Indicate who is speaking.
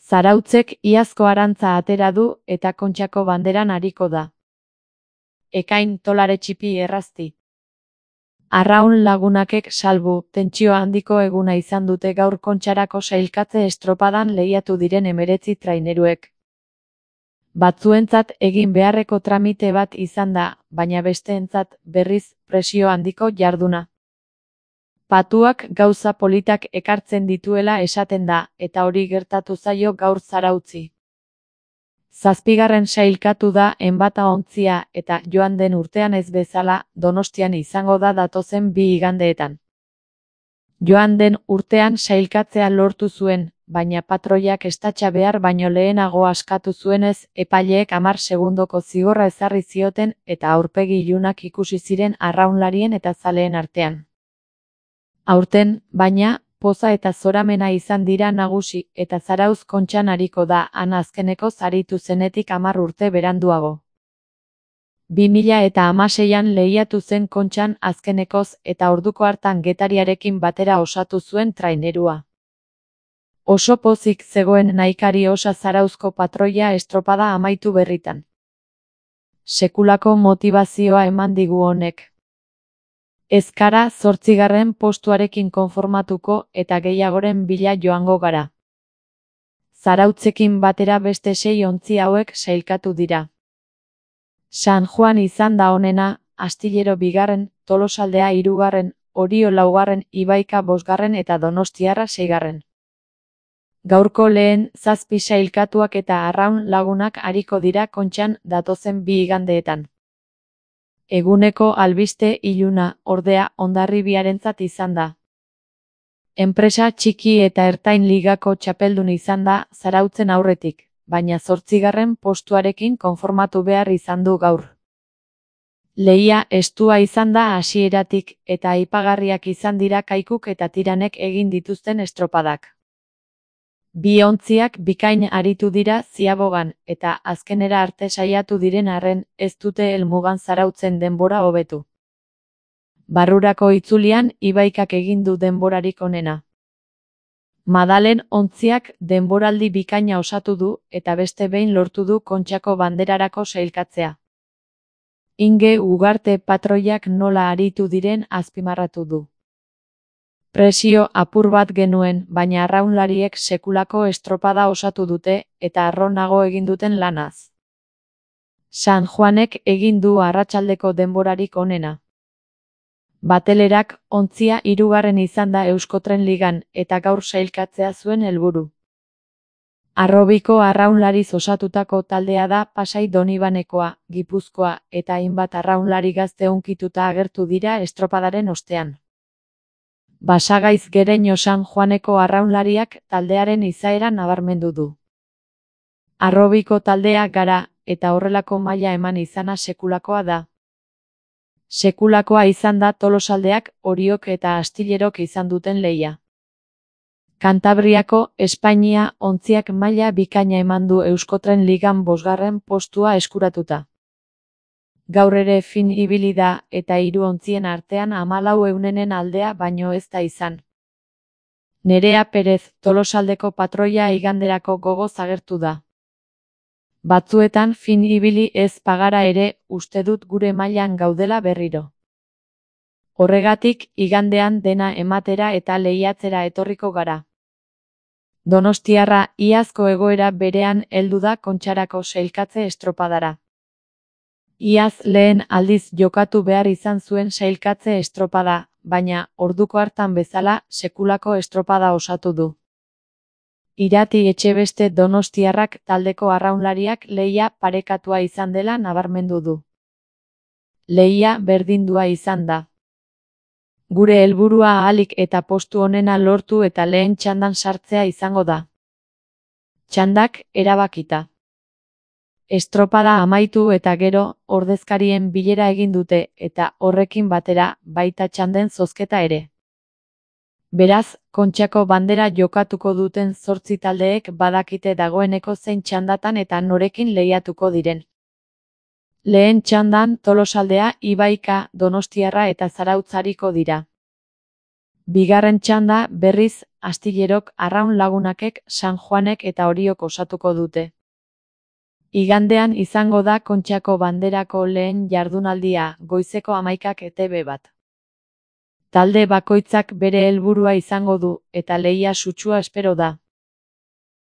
Speaker 1: Zarautzek iazko arantza atera du eta Kontxako banderan ariko da. Ekain tolare txipi errazti. Arraun lagunakek salbu, tentsio handiko eguna izan dute gaur Kontxarako sailkatze estropadan lehiatu diren 19 traineruek. Batzuentzat egin beharreko tramite bat izan da, baina besteentzat berriz presio handiko jarduna. Patuak gauza politak ekartzen dituela esaten da, eta hori gertatu zaio gaur Zarautzi. 7. sailkatu da Enbata-ontzia eta joan den urtean ez bezala, Donostian izango da datozen 2 igandeetan. Joan den urtean sailkatzea lortu zuen, baina patroiak estatxa behar baino lehenago askatu zuenez, epaileek 10 segundoko zigorra ezarri zioten eta aurpegi ilunak ikusi ziren arraunlarien eta zaleen artean. Aurten, baina, poza eta zoramena izan dira nagusi eta Zarautz Kontxan ariko da han azkeneko aritu zenetik 10 urte beranduago. 2016an lehiatu zen Kontxan azkenekoz eta orduko hartan Getariarekin batera osatu zuen trainerua. Oso pozik zegoen nahikari osa Zarauzko patroia estropada amaitu berritan. Sekulako motivazioa eman digu honek. Ez gara 8. postuarekin konformatuko eta gehiagoren bila joango gara. Zarautzekin batera beste 6 ontzi hauek sailkatu dira. San Juan izan da onena, Astillero 2., Tolosaldea 3., Orio 4., Ibaika 5. eta Donostiarra 6. Gaurko lehen 7 sailkatuak eta arraun lagunak ariko dira Kontxan datozen 2 igandeetan. Eguneko albiste iluna, ordea, Hondarribiarentzat izan da. Enpresa txiki eta ertain ligako txapeldun izan da Zarautzen aurretik, baina 8. postuarekin konformatu behar izan du gaur. Lehia estua izan da hasieratik eta aipagarriak izan dira Kaikuk eta Tiranek egin dituzten estropadak. 2 ontziak bikain aritu dira ziabogan eta azkenera arte saiatu diren arren ez dute helmugan Zarautzen denbora hobetu. Barrurako itzulian Ibaikak egin du denborarik onena. Madalen ontziak denboraldi bikaina osatu du eta beste behin lortu du Kontxako banderarako sailkatzea. Inge Ugarte patroiak nola aritu diren azpimarratu du. Presio apur bat genuen, baina arraunlariek sekulako estropada osatu dute eta arronago egin duten lanaz. San Juanek egin du arratsaldeko denborarik onena. Batelerak ontzia 3. izan da Euskotren Ligan eta gaur sailkatzea zuen helburu. Arrobiko arraunlariz osatutako taldea da Pasai Donibanekoa, Gipuzkoa eta hainbat arraunlari gazte hunkituta agertu dira estropadaren ostean. Basagaiz Gereño San Juaneko arraunlariak taldearen izaera nabarmendu du. Arrobiko taldea gara eta horrelako maila eman izana sekulakoa da. Sekulakoa izan da Tolosaldeak, Oriok eta Astillerok izan duten lehia. Kantabriako Espainia ontziak maila bikaina eman du Euskotren Ligan 5. postua eskuratuta. Gaur ere fin ibili da eta 3 ontzien artean 14 aldea baino ez da izan. Nerea Perez, Tolosaldeko patroia iganderako gogoz agertu da. Batzuetan fin ibili ez bagara ere, uste dut gure mailan gaudela berriro. Horregatik, igandean dena ematera eta lehiatzera etorriko gara. Donostiarra iazko egoera berean heldu da Kontxarako sailkatze estropadara. Iaz lehen aldiz jokatu behar izan zuen sailkatze estropada, baina, orduko hartan bezala, sekulako estropada osatu du. Irati Etxebeste Donostiarrak taldeko arraunlariak lehia parekatua izan dela nabarmendu du. Lehia berdindua izan da. Gure helburua ahalik eta postu onena lortu eta lehen txandan sartzea izango da. Txandak erabakita. Estropada amaitu eta gero, ordezkarien bilera egin dute eta horrekin batera baita txanden zozketa ere. Beraz, Kontxako bandera jokatuko duten 8 taldeek badakite dagoeneko zein txandatan eta norekin lehiatuko diren. Lehen txandan Tolosaldea, Ibaika, Donostiarra eta Zarautz ariko dira. Bigarren txanda, berriz, Astillerok, Arraun Lagunakek, San Juanek eta Oriok osatuko dute. Igandean izango da Kontxako Banderako lehen jardunaldia, goizeko 11ak ETB bat. Talde bakoitzak bere helburua izango du, eta lehia sutsua espero da.